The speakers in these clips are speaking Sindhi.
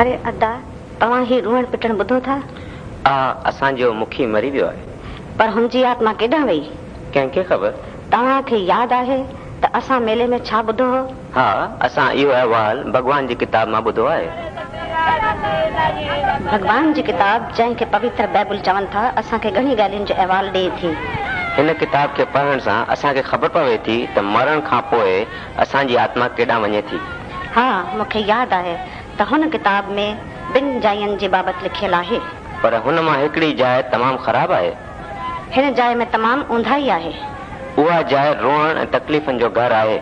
اري ادا، توهان هي روئڻ پٽڻ ٻڌو ٿا؟ آ، اسان جو مکي مري ويو آهي. پر هن جي آتما ڪيڏانهن وئي؟ ڪنهن کي خبر؟ توهان کي ياد آهي ته اسان ميلي ۾ ڇا ٻڌو هو؟ ها، اسان اهو احوال ڀڳوان جي ڪتاب مان ٻڌو آهي. ڀڳوان جي ڪتاب، جنهن کي پوتر بائبل چون ٿا، اسان کي گهڻي ڳالهين جو احوال ڏئي ٿي. هن ڪتاب کي پڙهڻ سان اسان کي خبر پوي ٿي ته مرڻ کان پوء اسان جي آتما ڪيڏانهن وڃي ٿي. ها، مون کي ياد آهي ته هن ڪتاب ۾ ٻن جاين جي بابت لکيل آهي. پر هن مان هڪڙي جاء تمام خراب آهي. هن جاء ۾ تمام اونداهي آهي. اها جاء روئڻ ۽ تڪليفن جو گهر آهي.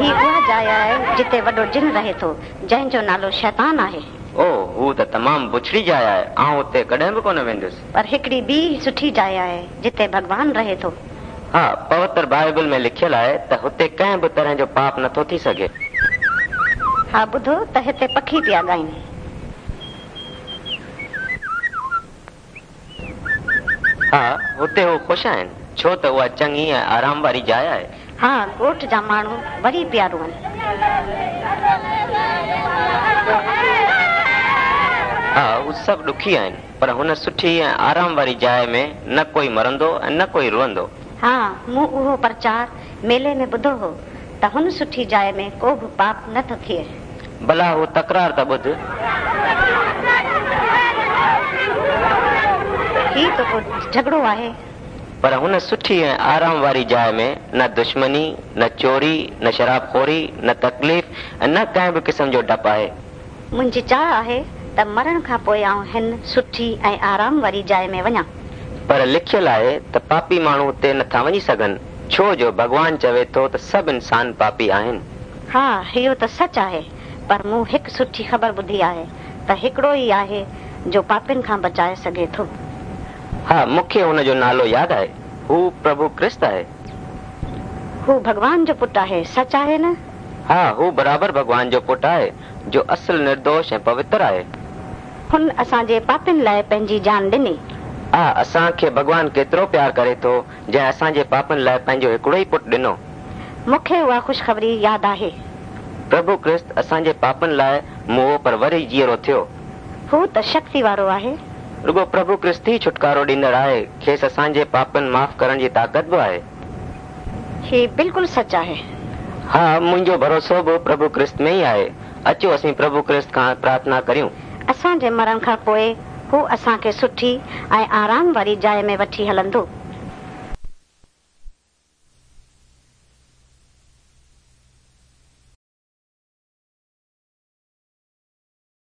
هي اها جاء آهي جتي وڏو جن رهي ٿو، جنهن جو نالو شيطان آهي. اوه، هو ته تمام بڇڙي جاء آهي. آئون اتي ڪڏهن به ڪونه ويندس. پر هڪڙي ٻي سٺي جاء آهي، جتي ڀڳوان رهي ٿو. ها، پوتر بائيبل ۾ لکيل آهي ته هتي ڪنهن به طرح جو پاپ نٿو ٿي سگهي. ها، ٻڌو ته هتي پکي پيا ڳائين. ها، هتي هو خوش آهن، ڇو ته اها چڱي ۽ آرام واري جاء آهي. ها، ڳوٺ جا ماڻهو وري پيا روئن. ها، هو سڀ ڏکي آهن، پر هن سٺي ۽ آرام واري جاء ۾ نه ڪوئي مرندو ۽ نه ڪوئي روئندو. ها، مون اهو پرچار ميلي ۾ ٻڌو هو ته هن سٺي جاء ۾ ڪو به پاپ نه ٿو ٿئي. ڀلا هو تڪرار ته ٻڌ. هي ته ڪو جهڳڙو آهي. پر هن سٺي ۽ آرام واري جاء ۾ نه دشمني، نه چوري، نه شراب خوري، نه تڪليف ۽ نه ڪنهن به قسم جو ڊپ آهي. منهنجي چاهه آهي ته مرڻ کان پوء آئون هن سٺي ۽ آرام واري جاء ۾ وڃان. پر لکيل آهي ته پاپي ماڻهو اتي نه ٿا وڃي سگهن، ڇو جو ڀڳوان چوي ٿو ته سڀ انسان پاپي آهن. ها، اهو ته سچ آهي، پر مون هڪ سٺي خبر ٻڌي آهي ته هڪڙو ئي آهي جو پاپين کان بچائي سگهي ٿو. ها، مون کي هن جو نالو ياد آهي. هو پرڀو ڪرست آهي. هو ڀڳوان جو پٽ آهي، سچ آهي نه؟ ها، هو برابر ڀڳوان جو پٽ آهي، جو اصل نردوش ۽ پوتر آهي. هن اسان جي پاپين لاء پنهنجي جان ڏني. آه، اسان کي ڀڳوان ڪيترو پيار ڪري ٿو، جنهن اسان جي پاپن لاء پنهنجو هڪڙو ئي پٽ ڏنو. مون کي اها خوشخبري ياد آهي. پرڀو ڪرست اسان جي پاپن لاء موئو پر وري جيئرو ٿيو. هو ته شڪتي وارو آهي. رڳو پرڀو ڪرست ئي ڇوٽڪارو ڏيندڙ آهي، کيس اسان جي پاپن معاف ڪرڻ جي طاقت به آهي. هي بلڪل سچ آهي. ها، منهنجو ڀروسو به پرڀو ڪرست ۾ ئي آهي. اچو اسين پرڀو ڪرست کان پرارٿنا ڪريون. اسان جي مرڻ کان پوء هو اسان کي سٺي ۽ آرام واري جاء ۾ وٺي هلندو.